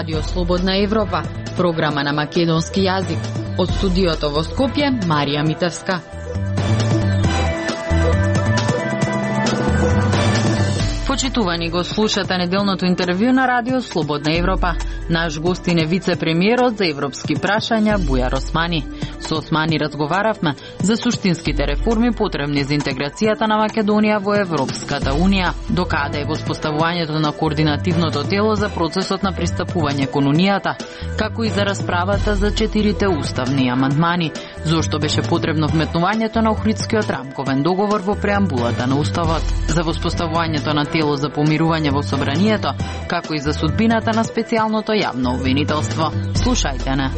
Радио Слободна Европа, програма на македонски јазик. Од студиото во Скопје, Марија Митевска. Почитувани, го слушате неделното интервју на Радио Слободна Европа. Наш гостин е вице-премиерот за европски прашања Бујар Османи. Со Османи разговаравме за суштинските реформи потребни за интеграцијата на Македонија во Европската Унија, докаде е воспоставувањето на координативното тело за процесот на пристапување кон Унијата, како и за расправата за 4 уставни амандмани, зошто беше потребно вметнувањето на Охридскиот рамковен договор во преамбулата на Уставот, за воспоставувањето на тело за помирување во собранието, како и за судбината на специјалното јавно обвинителство. Слушајте не.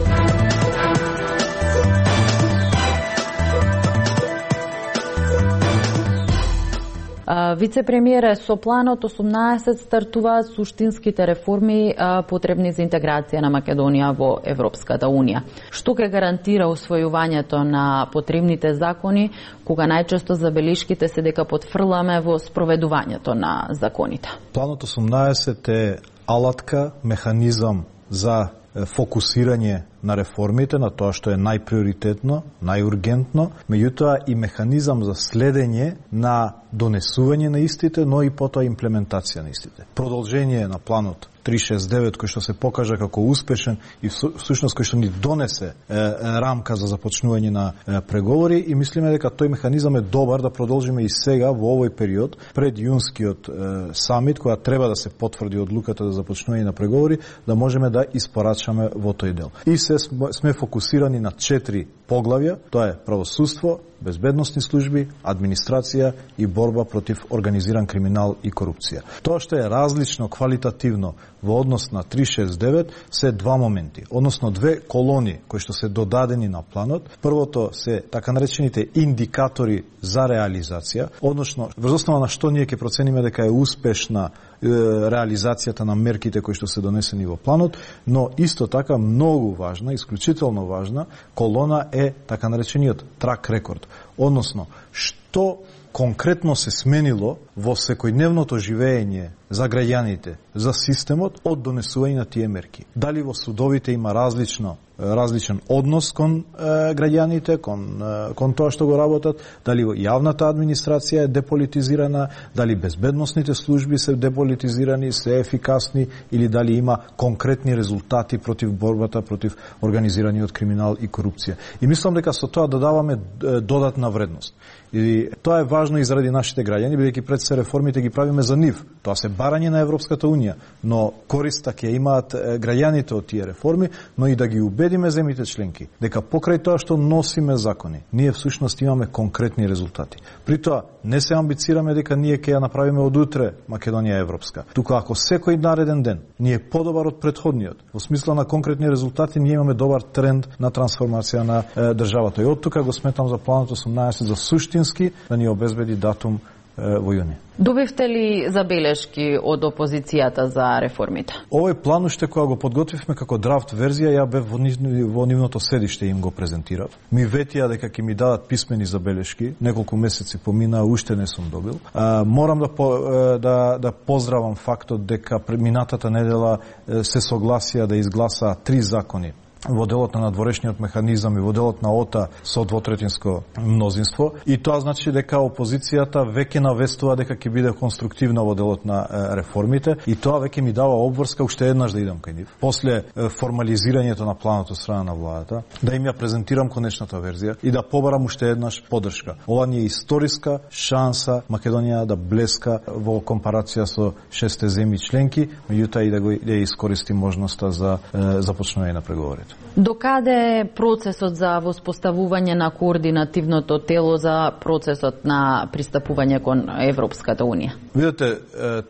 Вице-премиере, со планот 18 стартуваат суштинските реформи потребни за интеграција на Македонија во Европската Унија. Што ќе гарантира усвојувањето на потребните закони, кога најчесто забелишките се дека потфрламе во спроведувањето на законите? Планот 18 е алатка, механизам за фокусирање на реформите, на тоа што е најприоритетно, најургентно, меѓутоа и механизам за следење на донесување на истите, но и потоа имплементација на истите. Продолжение на планот 369 кој што се покажа како успешен и всушност кој што ни донесе рамка за започнување на преговори и мислиме дека тој механизам е добар да продолжиме и сега во овој период пред јунскиот самит, која треба да се потврди одлуката за започнување на преговори, да можеме да испорачаме во тој дел. И се сме фокусирани на 4 поглавја, тоа е правосудство, безбедносни служби, администрација и борба против организиран криминал и корупција. Тоа што е различно квалитативно во однос на 369 се два моменти, односно две колони кои што се додадени на планот. Првото се така наречените индикатори за реализација, односно врз основа на што ние ќе процениме дека е успешна реализацијата на мерките кои што се донесени во планот, но исто така многу важна, исклучително важна колона е така наречениот трак рекорд, односно што конкретно се сменило во секојдневното живење за граѓаните, за системот од донесување на тие мерки. Дали во судовите има различен однос кон граѓаните, кон тоа што го работат, дали јавната администрација е деполитизирана, дали безбедносните служби се деполитизирани, се ефикасни или дали има конкретни резултати против борбата против организираниот криминал и корупција. И мислам дека со тоа додаваме додатна вредност. И тоа е важно и заради нашите граѓани, бидејќи пред се реформите ги правиме за нив. Тоа се барање на Европската Унија, но користа ќе имаат граѓаните од тие реформи, но и да ги убедиме земјите членки дека покрај тоа што носиме закони, ние всушност имаме конкретни резултати. При тоа не се амбицираме дека ние ќе ја направиме од утре Македонија европска. Туку ако секој нареден ден ние е подобар од претходниот, во смисла на конкретни резултати, ние имаме добар тренд на трансформација на државата. И од тука го сметам за планот 18 за суштински да ни обезбеди датум во јуни. Добивте ли забелешки од опозицијата за реформите? Овој план уште кога го подготвивме како драфт верзија, ја бев во нивното седиште им го презентирав. Ми ветија дека ќе ми дадат писмени забелешки, неколку месеци поминаа, уште не сум добил. Морам да поздравам фактот дека минатата недела се согласија да изгласаа 3 закони во делот на надворешниот механизам и во делот на ОТА со двотретинско мнозинство. И тоа значи дека опозицијата веќе навестува дека ќе биде конструктивна во делот на реформите и тоа веќе ми дава обврска уште еднаш да идам кај нив. После формализирањето на планот од страна на владата, да им ја презентирам конечната верзија и да побарам уште еднаш поддршка. Ова ни е историска шанса Македонија да блеска во компарација со 6 земји членки, меѓутоа и да искористи можноста за започнување на преговорите. Докаде е процесот за воспоставување на координативното тело за процесот на пристапување кон Европската Унија? Видете,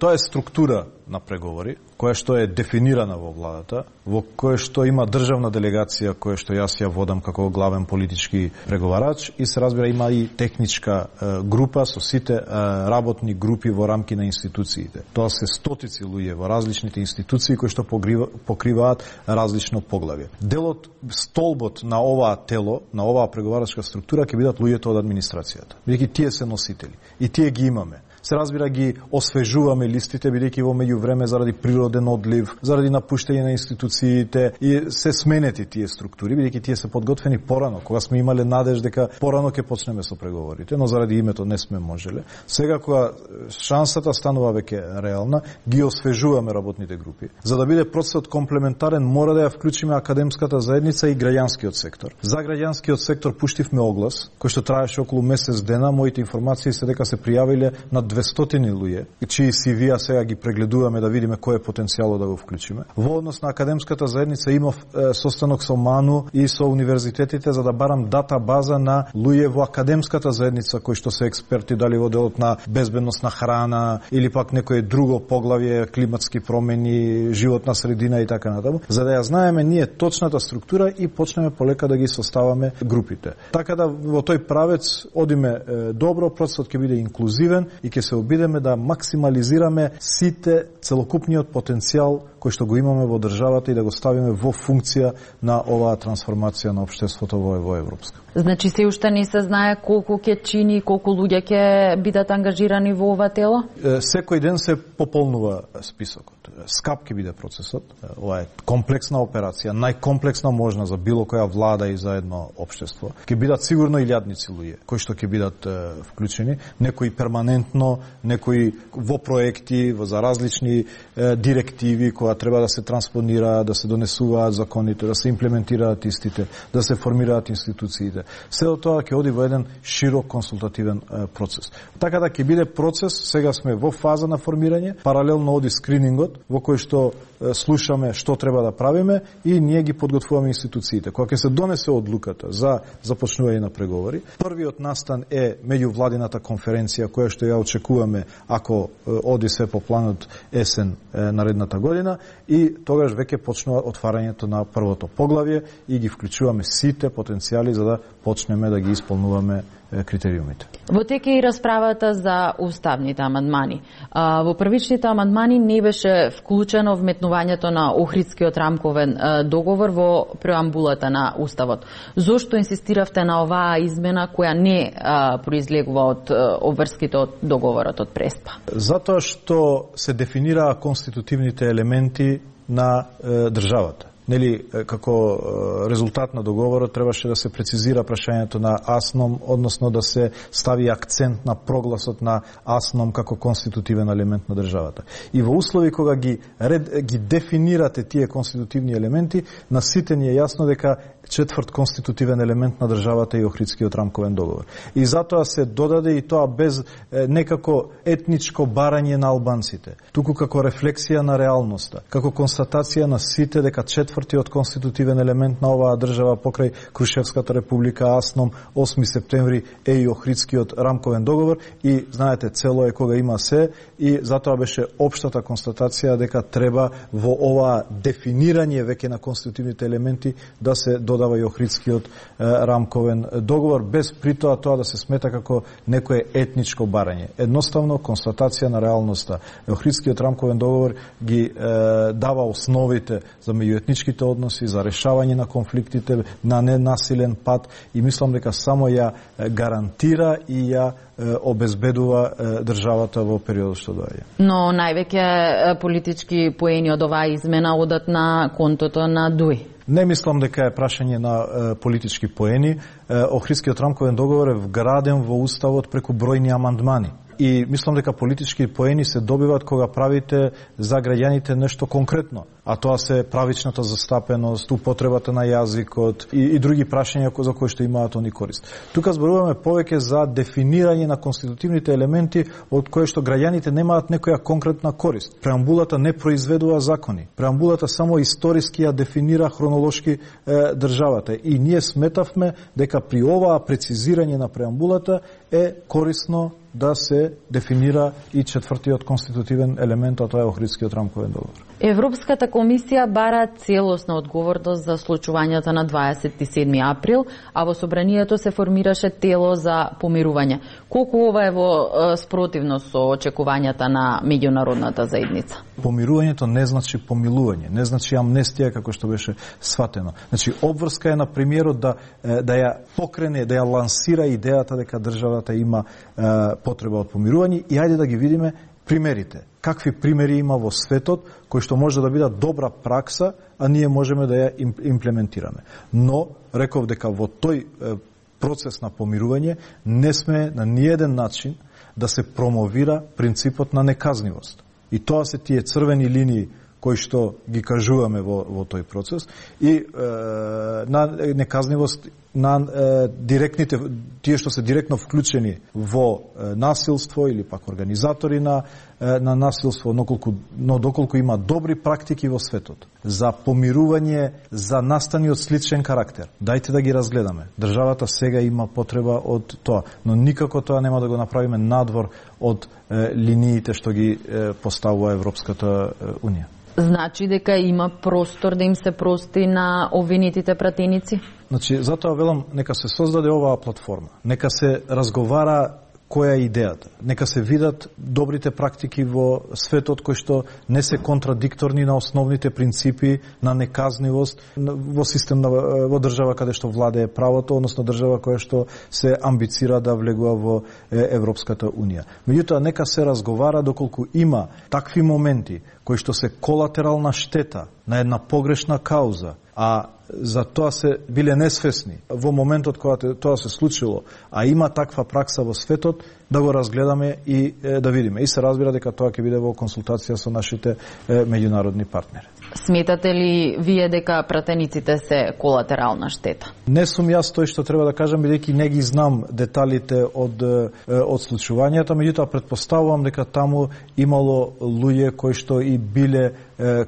тоа е структура на преговори, која што е дефинирана во владата, во која што има државна делегација, која што јас ја водам како главен политички преговарач и се разбира има и техничка група со сите работни групи во рамки на институциите. Тоа се стотици луѓе во различните институции кои што покриваат различно поглавје. Делот, столбот на оваа тело, на оваа преговарачка структура ќе бидат луѓето од администрацијата. Бидејќи тие се носители и тие ги имаме. се разбира ги освежуваме листите, бидејќи во меѓувреме заради природен одлив, заради напуштање на институциите и се сменети тие структури, бидејќи тие се подготвени порано, кога сме имале надеж дека порано ќе почнеме со преговорите, но заради името не сме можеле. Сега кога шансата станува веќе реална, ги освежуваме работните групи. За да биде процесот комплементарен, мора да ја вклучиме академската заедница и граѓанскиот сектор. За граѓанскиот сектор пуштивме оглас, кој што траеше околу месец дена. Моите информации се дека се пријавиле на 200 луѓе, чии CV-а сега ги прегледуваме да видиме кој е потенцијалот да го вклучиме. Во однос на академската заедница имав состанок со МАНУ и со универзитетите за да барам дата база на луѓе во академската заедница кои што се експерти дали во делот на безбедност на храна или пак некое друго поглавје, климатски промени, животна средина и така натаму, за да ја знаеме ние точната структура и почнеме полека да ги составаме групите. Така да во тој правец одиме добро, процесот ќе биде инклузивен и ќе се обидеме да максимализираме сите целокупниот потенцијал кој што го имаме во државата и да го ставиме во функција на оваа трансформација на општеството во Европска. Значи се уште не се знае колку ќе чини, колку луѓе ќе бидат ангажирани во ова тело? Секој ден се пополнува списокот. Скап ќе биде процесот. Ова е комплексна операција, најкомплексна можна за било која влада и за едно општество. Ќе бидат сигурно илјадници луѓе кои што ќе бидат вклучени, некои перманентно, некои во проекти, за различни директиви кои треба да се транспонираат, да се донесуваат законите, да се имплементираат истите, да се формираат институциите. Сето тоа ќе оди во еден широк консултативен процес. Така да ќе биде процес, сега сме во фаза на формирање, паралелно оди скринингот во кој што слушаме што треба да правиме и ние ги подготвуваме институциите. Кога ќе се донесе одлуката за започнување на преговори, првиот настан е меѓувладината конференција која што ја очекуваме ако оди се по планот есен наредната година и тогаш веќе почнува отварањето на првото поглавје и ги вклучуваме сите потенцијали за да почнеме да ги исполнуваме критериумите. Во тек е и расправата за уставните амандмани. Во првичните амандмани не беше вклучено вметнувањето на Охридскиот рамковен договор во преамбулата на Уставот. Зошто инсистиравте на оваа измена која не произлегува од обврските од договорот од Преспа? Затоа што се дефинираа конститутивните елементи на државата. Нели, како резултат на договорот требаше да се прецизира прашањето на АСНОМ, односно да се стави акцент на прогласот на АСНОМ како конститутивен елемент на државата. И во услови кога ги дефинирате тие конститутивни елементи, на сите ни е јасно дека четврт конститутивен елемент на државата е Охридскиот рамковен договор. И затоа се додаде и тоа без некако етничко барање на албанците, туку како рефлексија на реалноста, како констатација на сите дека четвртиот конститутивен елемент на оваа држава покрај Крушевската република, АСНОМ, 8 септември е и Охридскиот рамковен договор и знаете цело е кога има се и затоа беше општата констатација дека треба во оваа дефинирање веќе на конститутивните елементи да се додава и Охридскиот рамковен договор, без при тоа да се смета како некое етничко барање. Едноставно констатација на реалноста. Охридскиот рамковен договор ги дава основите за меѓуетничките односи, за решавање на конфликтите на ненасилен пат и мислам дека само ја гарантира и ја обезбедува државата во периодот што доаѓа. Но највеќе политички поени од оваа измена одат на контото на ДУИ. Не мислам дека е прашање на политички поени. Охридскиот рамковен договор е вграден во Уставот преку бројни амандмани. И мислам дека политички поени се добиваат кога правите за граѓаните нешто конкретно, а тоа се правичната застапеност, употребата на јазикот и други прашања за кои што имаат они корист. Тука зборуваме повеќе за дефинирање на конститутивните елементи од кои што граѓаните немаат некоја конкретна корист. Преамбулата не произведува закони. Преамбулата само историски ја дефинира хронолошки државата и ние сметавме дека при оваа прецизирање на преамбулата е корисно да се дефинира и четвртиот конститутивен елемент, а тоа е Охридскиот рамковен договор. Европската комисија бара целосна одговорност за случувањата на 27 април, а во собранието се формираше тело за помирување. Колку ова е во спротивност со очекувањата на меѓународната заедница? Помирувањето не значи помилување, не значи амнестија како што беше сватено. Значи обврска е на премиерот да ја покрене, да ја лансира идејата дека државата има потреба од помирување и ајде да ги видиме примерите. Какви примери има во светот кои што може да бидат добра пракса, а ние можеме да ја имплементираме. Но реков дека во тој процес на помирување не сме на ниеден начин да се промовира принципот на неказнивост. И тоа се тие црвени линии кои што ги кажуваме во тој процес и на неказнивост на директните, тие што се директно вклучени во насилство или пак организатори на насилство, но доколку има добри практики во светот за помирување, за настани од сличен карактер. Дајте да ги разгледаме. Државата сега има потреба од тоа, но никако тоа нема да го направиме надвор од линиите што ги поставува Европската Унија. Значи дека има простор да им се прости на обвинетите пратеници? Значи, затоа велам, нека се создаде оваа платформа. Нека се разговара која е идејата. Нека се видат добрите практики во светот кои што не се контрадикторни на основните принципи на неказнивост во систем во држава каде што владее правото, односно држава која што се амбицира да влегува во Европската Унија. Меѓутоа, нека се разговара доколку има такви моменти кои што се колатерална штета на една погрешна кауза, а за тоа се биле несвесни во моментот кога тоа се случило, а има таква пракса во светот, да го разгледаме и да видиме. И се разбира дека тоа ќе биде во консултација со нашите меѓународни партнери. Сметате ли вие дека пратениците се колатерална штета? Не сум јас тој што треба да кажам, бидејќи не ги знам деталите од случувањата, меѓутоа претпоставувам дека таму имало луѓе кои што и биле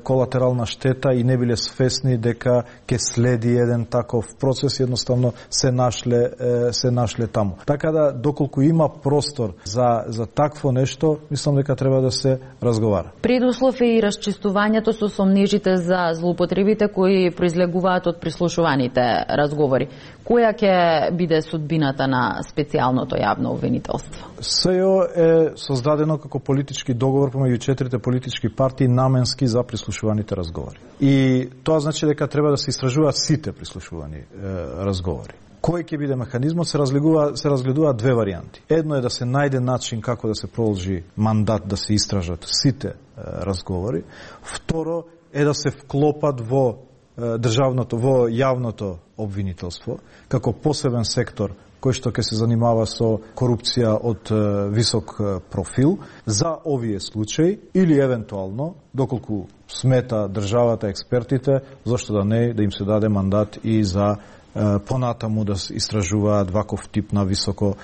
колатерална штета и не биле свесни дека ќе следи еден таков процес, едноставно се нашле таму. Така да, доколку има простор за такво нешто, мислам дека треба да се разговара. Предуслов е и расчистувањето со сомнежите за злоупотребите кои произлегуваат од прислушуваните разговори. Која ќе биде судбината на специјалното јавно обвинителство? СЈО е создадено како политички договор помеѓу 4 политички партии наменски за прислушуваните разговори. И тоа значи дека треба да се истражуваат сите прислушувани разговори. Кој ќе биде механизмот, се разгледуваат две варијанти. Едно е да се најде начин како да се продолжи мандат да се истражат сите разговори. Второ е да се вклопат во јавното обвинителство како посебен сектор кој што ќе се занимава со корупција од висок профил за овие случаи или евентуално, доколку смета државата, експертите, зашто да не, да им се даде мандат и за понатаму да истражуваат ваков тип на високо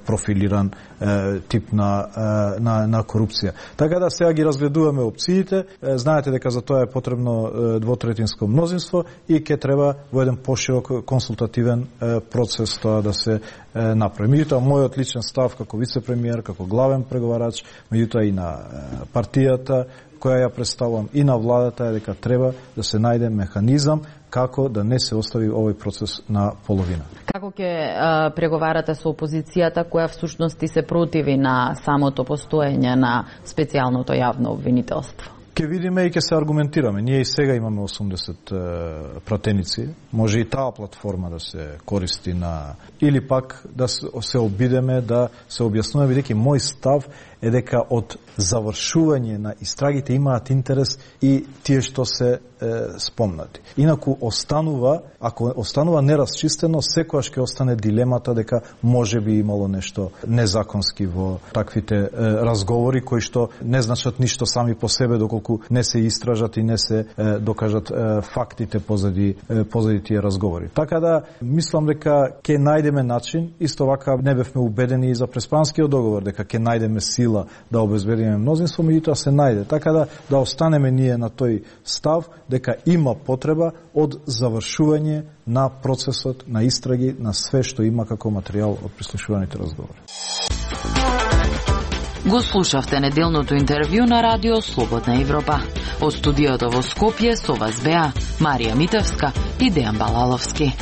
профилиран тип на корупција. Така да сега ги разгледуваме опциите, знаете дека за тоа е потребно двотретинско мнозинство и ќе треба во еден поширок консултативен процес тоа да се направи. Меѓутоа, мојот личен став како вице-премиер, како главен преговарач, меѓутоа и на партијата која ја представувам и на владата е дека треба да се најде механизам како да не се остави овој процес на половина. Како ќе преговарате со опозицијата која всушност се противи на самото постоење на специјалното јавно обвинителство? Ке видиме и ке се аргументираме. Ние и сега имаме 80 пратеници. Може и таа платформа да се користи на... Или пак да се обидеме, да се објаснуваме, бидејќи мој став е дека од завршување на истрагите имаат интерес и тие што се спомнати. Инаку ако останува неразчистено, секогаш ќе остане дилемата дека може би имало нешто незаконски во таквите разговори кои што не значат ништо сами по себе доколку не се истражат и не се докажат фактите позади тие разговори. Така да мислам дека ќе најдеме начин, исто вака не бевме убедени и за преспанскиот договор дека ќе најдеме сила да обезбедиме мнозинство, меѓутоа се најде. Така да останеме ние на тој став дека има потреба од завршување на процесот на истраги на све што има како материјал од прислушуваните разговори. Го слушавте неделното интервју на Радио Слободна Европа. Од студиото во Скопје со вас беа Марија Митевска и Дејан Балаловски.